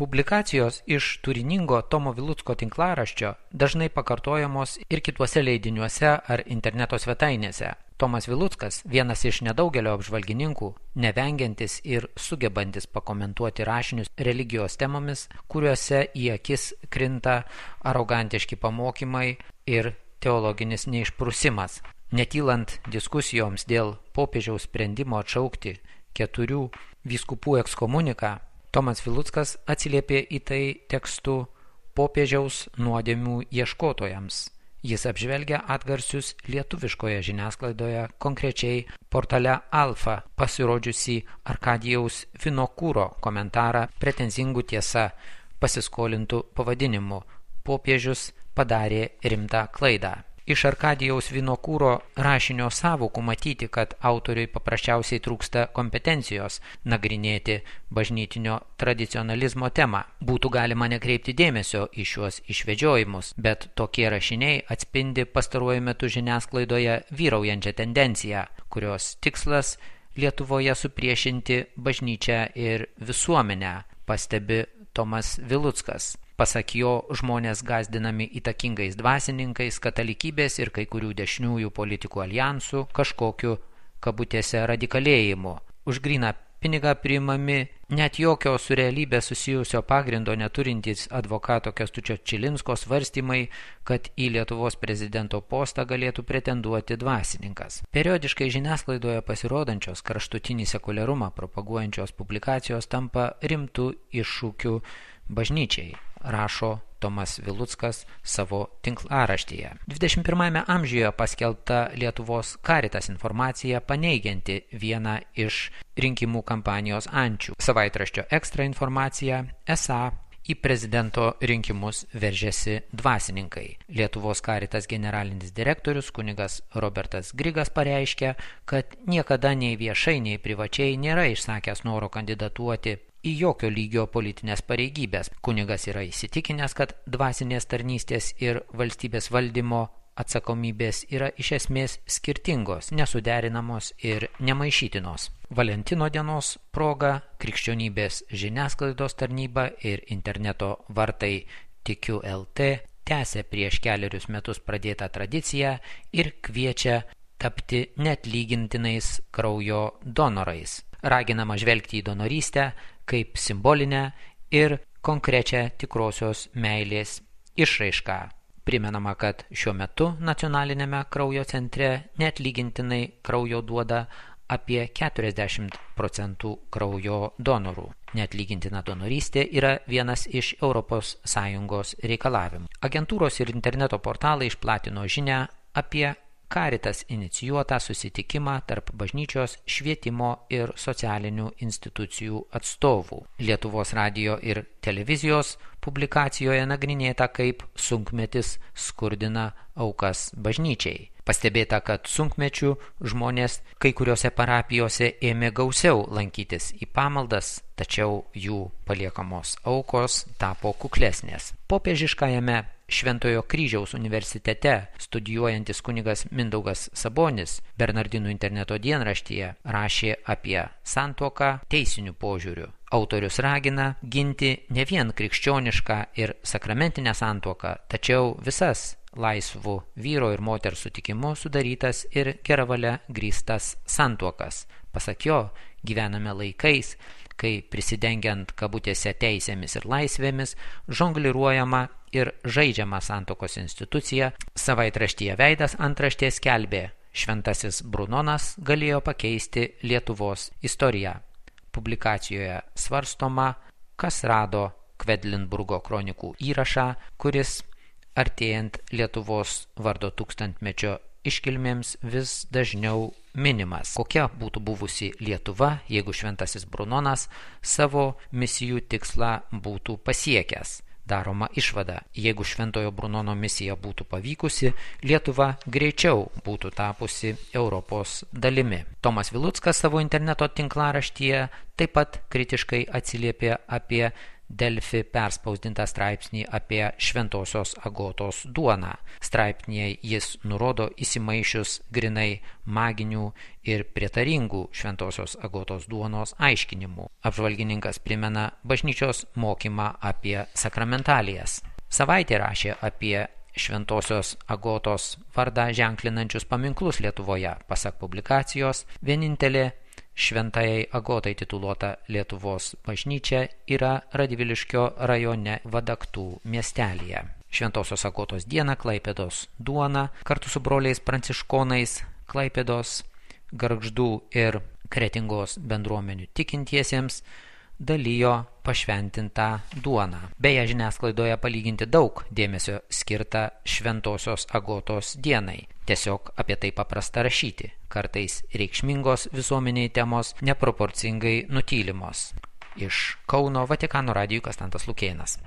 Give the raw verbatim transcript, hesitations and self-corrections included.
Publikacijos iš turiningo Tomo Vilucko tinklaraščio dažnai pakartojamos ir kituose leidiniuose ar interneto svetainėse. Tomas Viluckas, vienas iš nedaugelio apžvalgininkų, nevengiantis ir sugebantis pakomentuoti rašinius religijos temomis, kuriuose į akis krinta arogantiški pamokymai ir teologinis neišprusimas. Netylant diskusijoms dėl popiežiaus sprendimo atšaukti keturių vyskupų ekskomuniką, Tomas Viluckas atsiliepė į tai tekstu popiežiaus nuodėmių ieškotojams. Jis apžvelgia atgarsius lietuviškoje žiniasklaidoje, konkrečiai portale Alfa pasirodžiusį Arkadijaus Vinokūro komentarą pretenzingų tiesa pasiskolintų pavadinimu "Popiežius padarė rimtą klaidą". Iš Arkadijaus Vinokūro rašinio sąvokų matyti, kad autoriui paprasčiausiai trūksta kompetencijos nagrinėti bažnytinio tradicionalizmo temą. Būtų galima nekreipti dėmesio į šiuos išvedžiojimus, bet tokie rašiniai atspindi pastaruoju metu žiniasklaidoje vyraujančią tendenciją, kurios tikslas Lietuvoje supriešinti bažnyčią ir visuomenę, pastebi Tomas Viluckas. Pasak jo, žmonės gąsdinami įtakingais dvasininkais, katalikybės ir kai kurių dešiniųjų politikų aljansų kažkokiu kabutėse radikalėjimu. Už gryną pinigą priimami net jokio su realybė susijusio pagrindo neturintys advokato Kęstučio Čilinsko svarstymai, kad į Lietuvos prezidento postą galėtų pretenduoti dvasininkas. Periodiškai žiniasklaidoje pasirodančios kraštutinį sekuliarumą propaguojančios publikacijos tampa rimtų iššūkių bažnyčiai, rašo Tomas Viluckas savo tinklaraštyje. dvidešimt pirmajame amžiuje paskelbta Lietuvos Caritas informacija paneigianti vieną iš rinkimų kampanijos ančių. Savaitraščio Ekstra informacija esą į prezidento rinkimus veržėsi dvasininkai. Lietuvos Caritas generalinis direktorius kunigas Robertas Grigas pareiškė, kad niekada nei viešai, nei privačiai nėra išsakęs noro kandidatuoti į jokio lygio politinės pareigybės. Kunigas yra įsitikinęs, kad dvasinės tarnystės ir valstybės valdymo atsakomybės yra iš esmės skirtingos, nesuderinamos ir nemaišytinos. Valentino dienos proga krikščionybės žiniasklaidos tarnyba ir interneto vartai Tikiu L T tęsia prieš kelerius metus pradėtą tradiciją ir kviečia tapti neatlygintinais kraujo donorais. Raginama žvelgti į donorystę kaip simbolinę ir konkrečią tikrosios meilės išraišką. Primenama, kad šiuo metu nacionalinėme kraujo centre neatlygintinai kraujo duoda apie keturiasdešimt procentų kraujo donorų. Neatlygintina donorystė yra vienas iš Europos Sąjungos reikalavimų. Agentūros ir interneto portalai išplatino žinią apie Caritas inicijuotą susitikimą tarp bažnyčios, švietimo ir socialinių institucijų atstovų. Lietuvos radijo ir televizijos publikacijoje nagrinėta, kaip sunkmetis skurdina aukas bažnyčiai. Pastebėta, kad sunkmečių žmonės kai kuriuose parapijose ėmė gausiau lankytis į pamaldas, tačiau jų paliekamos aukos tapo kuklesnės. Popiežiškajame Šventojo Kryžiaus universitete studijuojantis kunigas Mindaugas Sabonis Bernardinų interneto dienraštyje rašė apie santuoką teisiniu požiūriu. Autorius ragina ginti ne vien krikščionišką ir sakramentinę santuoką, tačiau visas laisvų vyro ir moters sutikimu sudarytas ir geravalia grįstas santuokas. Pasak jo, gyvename laikais, kai prisidengiant kabutėse teisėmis ir laisvėmis, žongliruojama ir žaidžiama santuokos institucija. Savaitraštyje Veidas antraštė skelbė: Šventasis Brunonas galėjo pakeisti Lietuvos istoriją. Publikacijoje svarstoma, kas rado Kvedlinburgo kronikų įrašą, kuris artėjant Lietuvos vardo tūkstantmečio iškilmėms vis dažniau minimas. Kokia būtų buvusi Lietuva, jeigu Šventasis Brunonas savo misijų tikslą būtų pasiekęs? Daroma išvada, jeigu Šventojo Brunono misija būtų pavykusi, Lietuva greičiau būtų tapusi Europos dalimi. Tomas Viluckas savo interneto tinklaraštyje taip pat kritiškai atsiliepė apie Delfi perspausdintą straipsnį apie Šventosios Agotos duoną. Straipsnyje jis nurodo įsimaišius grinai maginių ir prietaringų Šventosios Agotos duonos aiškinimų. Apžvalgininkas primena bažnyčios mokymą apie sakramentalijas. Savaitė rašė apie Šventosios Agotos vardą ženklinančius paminklus Lietuvoje. Pasak publikacijos, vienintelė Šventajai Agotai tituluota Lietuvos bažnyčia yra Radviliškio rajone Vadaktų miestelyje. Šventosios Agotos dieną Klaipėdos duona kartu su broliais pranciškonais Klaipėdos, Gargždų ir Kretingos bendruomenių tikintiesiems dalijo pašventintą duoną. Beje, žiniasklaidoje palyginti daug dėmesio skirta Šventosios Agotos dienai. Tiesiog apie tai paprasta rašyti. Kartais reikšmingos visuomeniai temos neproporcingai nutylimos. Iš Kauno Vatikano radijui Konstantas Lukėnas.